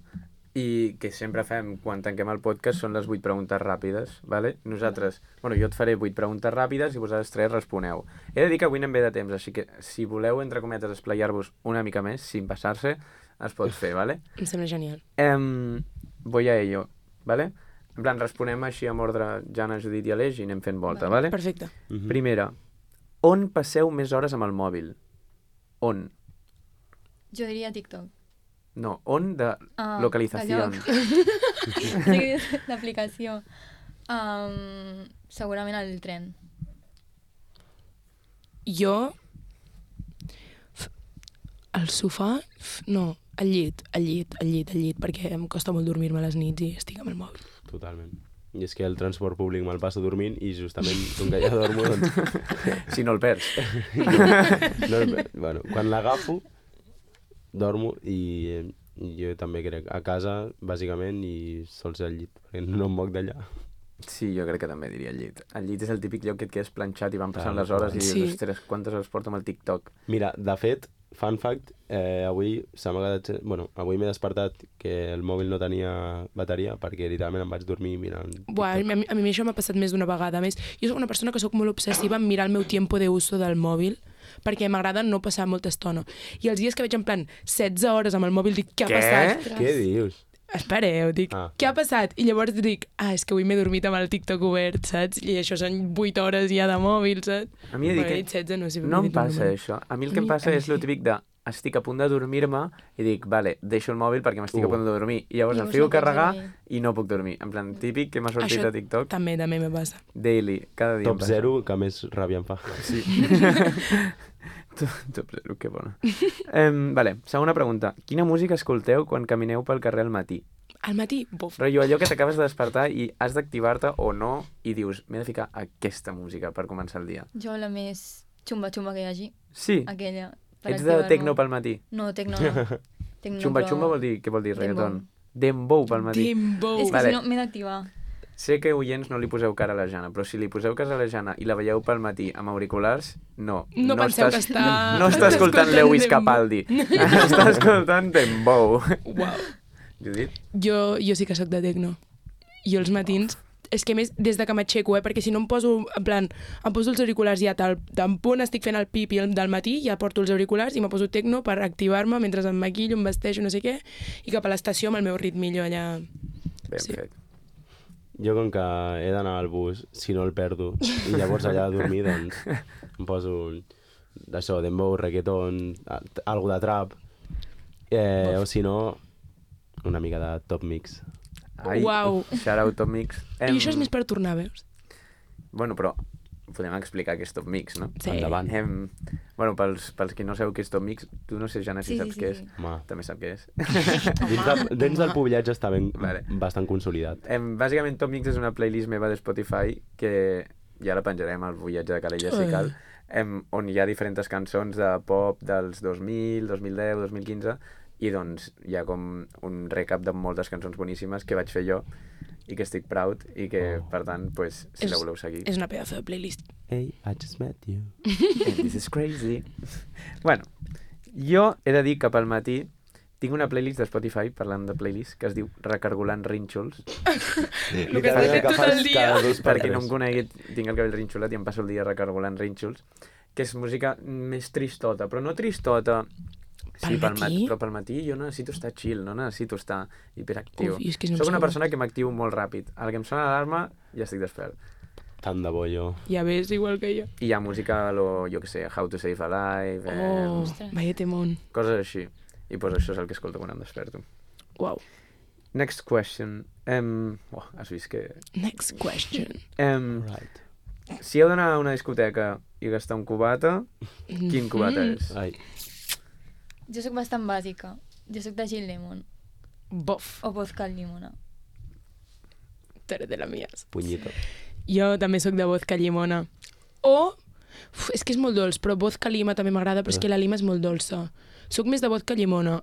i que sempre fem quan tanquem el podcast són les vuit preguntes ràpides, vale? Nosaltres, bueno, jo et faré vuit preguntes ràpides i vosaltres tres responeu. He de dir que avui anem bé de temps, així que si voleu, entre cometes, esplayar-vos una mica més, sin passar-se, es pot fer, vale? Em sembla genial. Um, voy a ello, vale? En plan, responem així amb ordre Jana, Judit i Aleix i anem fent volta, vale? Perfecte. Mhm. Primera, on passeu més hores amb el mòbil? On? Jo diria TikTok. No, on de Ah, localització. de lloc. Sí, l'aplicació. Um, segurament el tren. Jo... f- Al sofà... f- No, al llit, al llit, al llit, al llit, perquè em costa molt dormir-me a les nits i estic amb el mòbil. Totalment. I és que el transport públic me'l passo dormint i justament, com que ja dormo, doncs... Si no el perds. no, bueno, quan l'agafo, dormo i, i jo també crec a casa, bàsicament, i sols al llit, perquè no em moc d'allà. Sí, jo crec que també diria el llit. El llit és el típic lloc que et quedes planxat i van passant Clar, les hores i dius, sí. ostres, quantes hores porto amb el TikTok? Mira, de fet, fun fact, eh, avui se m'ha quedat... Bueno, avui m'he despertat que el mòbil no tenia bateria perquè literalment em vaig dormir mirant TikTok. Buah, a, mi, a mi això m'ha passat més d'una vegada. A més, jo soc una persona que sóc molt obsessiva en mirar el meu tiempo de uso del mòbil perquè m'agrada no passar molta estona. I els dies que veig en plan setze hores amb el mòbil dic, què ha Què? passat? Què dius? Espereu, dic, Ah. què ha passat? I llavors dic, ah, és que avui m'he dormit amb el TikTok obert, saps? I això són vuit hores ja de mòbil, saps? A mi he de dir Bueno, he que dit setze, no sé. no he em dit un passa número. això. A mi el que A em mi- passa a mi és el sí. típic de estic a punt de dormir-me i dic, vale, deixo el mòbil perquè m'estic Uh. a punt de dormir. I llavors el Llavors fico no a pots carregar dormir. i no puc dormir. En plan, típic que m'ha sortit Això a TikTok. També, també me passa. Daily, cada dia em Top passa. zero que més ràbia em fa. Sí. Top zero, que bona. Um, vale, segona pregunta. Quina música escolteu quan camineu pel carrer al matí? Al matí, buf. Rotllo, allò que t'acabes de despertar i has d'activar-te o no i dius, m'he de ficar aquesta música per començar el dia. Jo la més xumba-xumba que hi hagi, Sí, aquella. Per ets de activar-me. tecno pel matí. No, tecno no. Tecno, Xumba però- xumba vol dir, què vol dir, Dembow. reggaeton? Dembow pel matí. Dembow. És que Vale. si no m'he d'activar. Sé que, oients, no li poseu cara a la Jana, però si li poseu cara a la Jana i la veieu pel matí amb auriculars, no. No penseu que estàs, està- No està escoltant escoltant Lewis Dembow. Capaldi. Està escoltant Dembow. Uau. Judit? Jo, jo sí que sóc de tecno. Jo els matins, és que a més des de que m'aixeco, eh, perquè si no em poso, en plan, em poso els auriculars ja tal, tan punt estic fent el pipi el- del matí, ja porto els auriculars i me poso tecno per activar-me mentre em maquillo, em vesteixo, no sé què, i cap a l'estació amb el meu ritmillo allà. Ben Sí. fet. Jo, com que he d'anar al bus, si no el perdo, i llavors allà a dormir, doncs em poso un- d'això, dembow, reggaeton, a- algo de trap, eh, o si no, una mica de top mix. Ai, Uau. Shout out Top Mix. I això és més per tornar, veus? Bueno, però podem explicar què és Top Mix, no? Sí. Endavant. Em... Bueno, pels, pels que no sabeu què és Top Mix, tu no sé, Jana, si Sí, saps sí, sí, què sí. és. Home, També sap què és. dins, de, dins del pobillatge està ben, Vale. bastant consolidat. Em, bàsicament, Top Mix és una playlist meva de Spotify que ja la penjarem al Voyatge de Calella, si Ui. cal, em, on hi ha diferents cançons de pop dels dos mil, dos mil deu, dos mil quinze, i doncs hi ha com un recap de moltes cançons boníssimes que vaig fer jo i que estic proud i que, Oh. per tant, pues, si És- la voleu seguir... És una pedazo de playlist. Hey, I just met you. And this is crazy. Bueno, jo he de dir que pel matí tinc una playlist de Spotify, parlant de playlist, que es diu Recargolant Rínxols. El que has fet tot el dia. cada dos per Per qui no tres. em conegui, tinc el cabell rinxolat i em passo el dia recargolant rínxols, que és música més tristota, però no tristota... Sí, Pel pel matí? matí? Però pel matí jo necessito estar chill, no necessito estar hiperactiu. Uf, i és que no em Soc una sembla. persona que m'actiu molt ràpid. Al que em sona l'alarma, ja estic despert. Tant de bo jo. Ja ves, igual que jo. I hi ha música, lo, jo que sé, How to Save a Life, eh, Oh, Ostres. vaya temón. coses així. I pues això és el que escolto quan em desperto. Uau. Next question. Um, oh, has vist que... Next question. Um, Right. si heu d'anar a una discoteca i gastar un cubata, quin cubata Mm. és? Ai, Jo sóc bastant bàsica. Jo sóc de Gin Lemon. Bof. O vodka al llimona. Tu eres de la mies. punyito. Jo també sóc de vodka llimona. O... Uf, és que és molt dolç, però vodka lima també m'agrada, però és que la lima és molt dolça. Soc més de vodka llimona.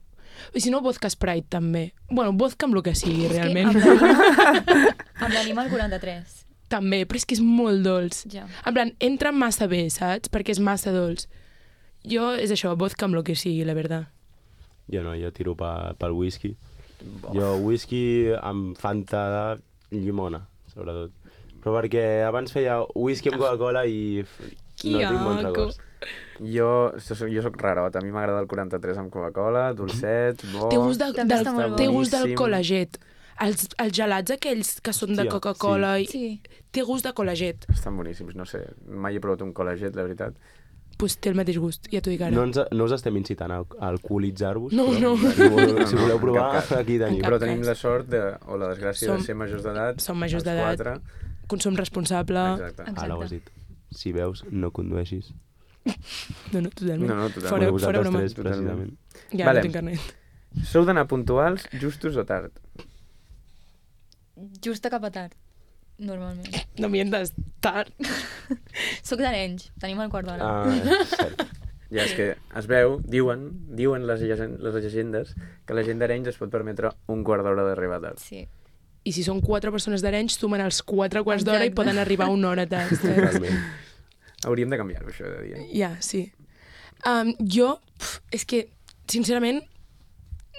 I si no, vodka Sprite també. Bueno, vodka amb el que sigui, És que realment. amb la lima, amb la lima al quaranta-tres. També, però és que és molt dolç. Ja. En plan, entra massa bé, saps? Perquè és massa dolç. Jo, és això, vodka amb el que sigui, la veritat. Jo no, jo tiro pa, pel whisky. Jo whisky amb Fanta de llimona, sobretot. Però perquè abans feia whisky amb Coca-Cola i f- no tinc bons asco. records. Jo, jo soc, jo soc rarot, a mi m'agrada el quaranta-tres amb Coca-Cola, dolcet, bo... Té gust, de, També del, està molt bo. té gust del Boníssim. col·laget. Els, els gelats aquells que són de Hòstia, Coca-Cola, i Sí. té gust de col·laget. Estan boníssims, no sé, mai he provat un col·legiat, la veritat. Pues té el mateix gust, ja t'ho dic ara. No, ens, no us estem incitant a, a alcoholitzar-vos, No, però no. si, voleu, No, si no, voleu en provar, cap cas. aquí tenim. cap Però tenim cas. la sort de, o la desgràcia Som- de ser majors d'edat. som majors els d'edat. quatre. Consum responsable... Exacte. Exacte. Ara ho has dit. Si veus, no condueixis. No, no, totalment. No, no, totalment. Fora, Bueno, fora vosaltres broma. tres, precisament. Ja Vale. no tinc carnet. Sou d'anar puntuals, justos o tard? Justa cap a tard, normalment. No mientas, tard. Soc d'Arenys, tenim el quart d'hora. Ah, cert. Ja és que es veu, diuen, diuen les, llegend- les llegendes, que la gent d'Arenys es pot permetre un quart d'hora d'arribar tard. Sí. I si són quatre persones d'Arenys, sumen els quatre quarts d'hora i Exacte. poden arribar una hora tard. saps? Totalment. Hauríem de canviar-ho, això, de dir. Ja, sí. Um, jo, pf, és que, sincerament,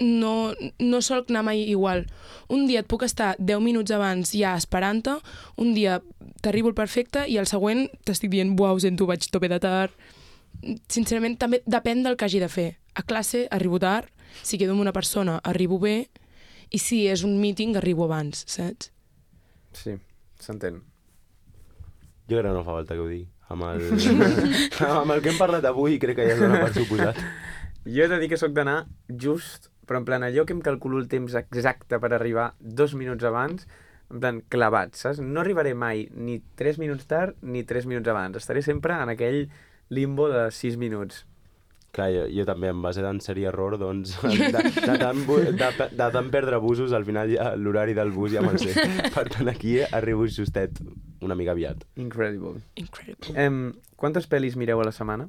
no, no sol anar mai igual. Un dia et puc estar deu minuts abans ja esperant-te, un dia t'arribo el perfecte i el següent t'estic dient, uau, sento, vaig tope de tard. Sincerament, també depèn del que hagi de fer. A classe arribo tard, si quedo amb una persona arribo bé, i si és un meeting arribo abans, saps? Sí, s'entén. Jo crec que no fa falta que ho digui. Amb el, amb el que hem parlat avui crec que ja es dona per suposat. Jo he de dir que sóc d'anar just, però en plan allò que em calculo el temps exacte per arribar dos minuts abans, en plan clavat, saps? No arribaré mai ni tres minuts tard ni tres minuts abans. Estaré sempre en aquell limbo de sis minuts. Clar, jo, jo també, en base d'enseri error, doncs, de, de, tant, bu- de, de tant perdre busos, al final ja l'horari del bus ja me'l sé. Per tant, aquí arribo justet, una mica aviat. Incredible. Incredible. Em, quantes pel·lis mireu a la setmana?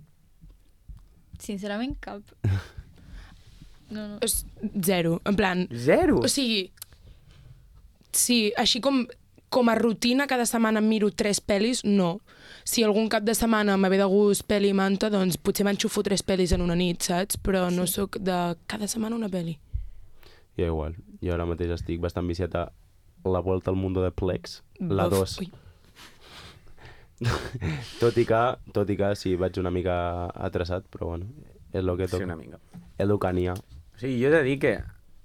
Sincerament, cap. No, no. És zero, en plan... Zero? O sigui, sí, així com, com a rutina cada setmana em miro tres pel·lis, no. Si algun cap de setmana me ve de gust pel·li i manta, doncs potser m'enxufo tres pel·lis en una nit, saps? Però no sí. Sóc de cada setmana una pel·li. Jo igual. Jo ara mateix estic bastant viciat a La Vuelta al Mundo de Plex, la dos. tot, i que, tot i que sí, vaig una mica atrasat, però bueno, és el que toca. Sí, una mica. És el que n'hi ha. O sigui, jo he de dir que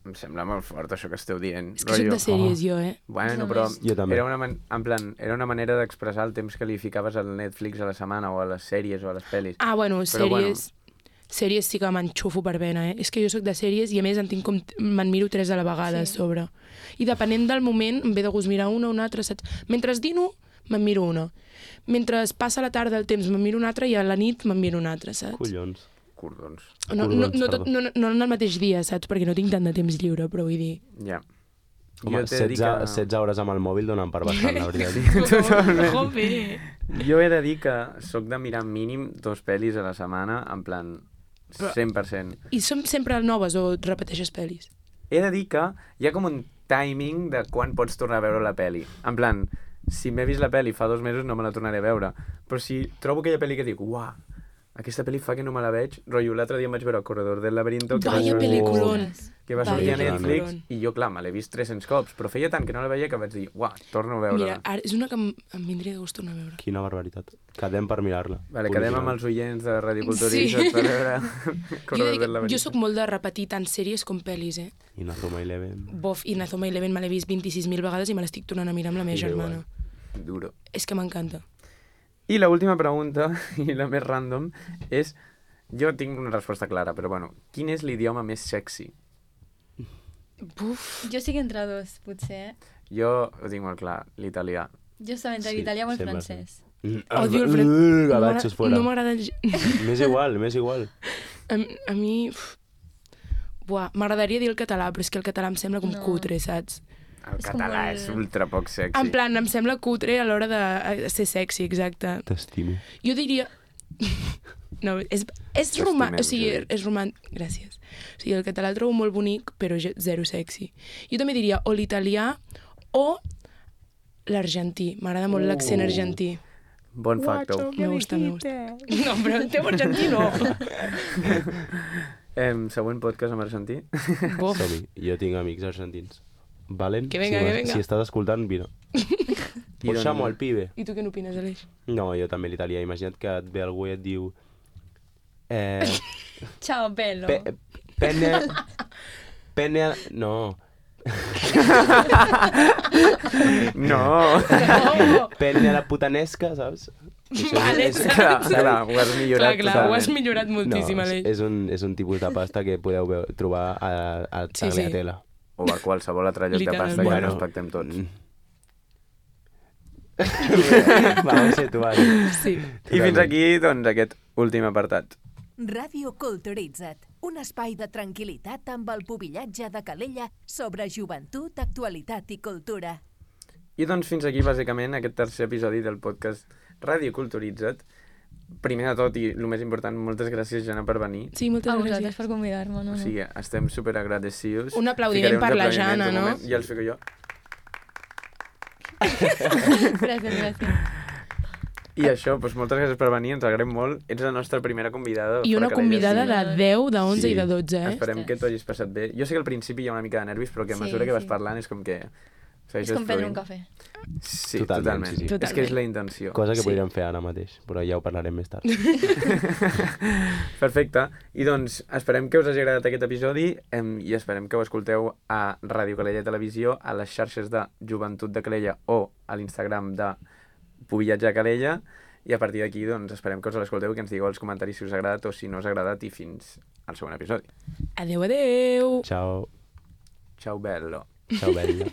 em sembla molt fort això que esteu dient. És que soc de sèries, oh. jo, eh? Bueno, però era una, man en plan, era una manera d'expressar el temps que li ficaves al Netflix a la setmana o a les sèries o a les pel·lis. Ah, bueno, però, sèries... Bueno... Sèries sí que m'enxufo per vena, eh? És que jo sóc de sèries i a més en tinc com... me'n miro tres a la vegada sí. a sobre. I depenent del moment em ve de gust mirar una o una altra, saps? Mentre dino, me'n miro una. Mentre passa la tarda el temps me'n miro una altra i a la nit me'n miro una altra, saps? Collons. Cordons. No, no, no, tot, no, no en el mateix dia, saps? Perquè no tinc tant de temps lliure, però vull dir... Ja. Home, setze, que... setze hores amb el mòbil donen per bastant, la veritat. Sí, totalment. Joder. Jo he de dir que sóc de mirar mínim dos pel·lis a la setmana, en plan cent per cent. I són sempre noves o repeteixes pel·lis? He de dir que hi ha com un timing de quan pots tornar a veure la pel·li. En plan, si m'he vist la pel·li fa dos mesos no me la tornaré a veure, però si trobo aquella pel·li que dic, uah, aquesta pel·li fa que no me la veig, rotllo, l'altre dia em vaig veure El Corredor del Laberinto, que Vaya va, pel·liculón! que va sortir a Vaya Netflix, peliculón. i jo, clar, me l'he vist tres-cents cops, però feia tant que no la veia que vaig dir, uah, torno a veure-la. Mira, ara és una que em, em vindria de gust tornar a veure. Quina barbaritat. Quedem per mirar-la. Vale, quedem amb els oients de Radio Culturista Sí. per veure Corredor Jo, del Laberinto. jo sóc molt de repetir tant sèries com pel·lis, eh? I Nazoma Eleven. Bof, i Nazoma Eleven me l'he vist vint-i-sis mil vegades i me l'estic tornant a mirar amb la meva Sí, germana. Duro. És que m'encanta. I l'última pregunta, i la més random, és... Jo tinc una resposta clara, però bueno, quin és l'idioma més sexy? Buf. Jo sí que entre dos, potser. Jo ho tinc molt clar, l'italià. Jo estava entre Sí, l'italià o el sempre. francès. Odio el fred. Uh, gavatxos fora. No m'agrada... M'és igual, m'és igual. A, a mi... uf. Buah, m'agradaria dir el català, però és que el català em sembla com No. cutre, saps? El És com català molt- és ultra poc sexy. En plan, em sembla cutre a l'hora de eh, ser sexy, exacte. T'estimo. Jo diria... No, és, és T'estimem, romàntic, o sigui, Judit. és romàntic, gràcies. O sigui, el català el trobo molt bonic, però ge- zero sexy. Jo també diria o l'italià o l'argentí. M'agrada molt l'accent Uh. argentí. Bon facto. Me gusta, me gusta. No, però el teu argentí no. Em, següent podcast amb argentí. Bof. Som-hi. Jo tinc amics argentins. Valen? Que venga, si, que m'es- venga. Si estàs escoltant, vine. I Pues d'on- xamo al pibe. I tu què n'opines, Aleix? No, jo també l'italià. Imagina't que et ve algú i et diu... Eh, Ciao, bello. pe, penne... Penne... No. No! No! Penne a la putanesca, saps? Això Vale, és, clar, clar, ho has millorat Clar, clar, ho has totalment. millorat moltíssim, no, Aleix. és, un, és un tipus de pasta que podeu veu- trobar a, a Sí, sí. Tagliatella. O a qualsevol altre lloc de pasta que Literalment. respectem tots. Va, ho sé, tu, vale. Sí. I fins aquí, doncs, aquest últim apartat. Ràdio Culturitza't, un espai de tranquil·litat amb el pubillatge de Calella sobre joventut, actualitat i cultura. I doncs fins aquí, bàsicament, aquest tercer episodi del podcast Ràdio Culturitza't. Primer de tot, i el més important, moltes gràcies, Jana, per venir. Sí, moltes A vosaltres gràcies. per convidar-me, no, O no. sigui, estem super agradecidos. Un aplaudiment per la Jana, no? Ja els fico jo. Gràcies, gràcies. I això, doncs moltes gràcies per venir, ens agraem molt. Ets la nostra primera convidada. I una fora que convidada deia, de deu, de onze Sí. i de dotze, eh? Esperem que t'ho hagis passat bé. Jo sé que al principi hi ha una mica de nervis, però que a Sí, mesura que vas sí. parlant és com que... És com prendre un cafè. Sí, Totalment, totalment. sí, sí. És que és la intenció. Cosa que Sí. podríem fer ara mateix, però ja ho parlarem més tard. Perfecte. I doncs esperem que us hagi agradat aquest episodi em, i esperem que ho escolteu a Ràdio Calella Televisió, a les xarxes de Joventut de Calella o a l'Instagram de Pubillatge a Calella. I a partir d'aquí doncs, esperem que us l'escolteu i que ens digueu als comentaris si us ha agradat o si no us ha agradat i fins al següent episodi. Adeu, adeu. Ciao. Ciao bello. Ciao, bella.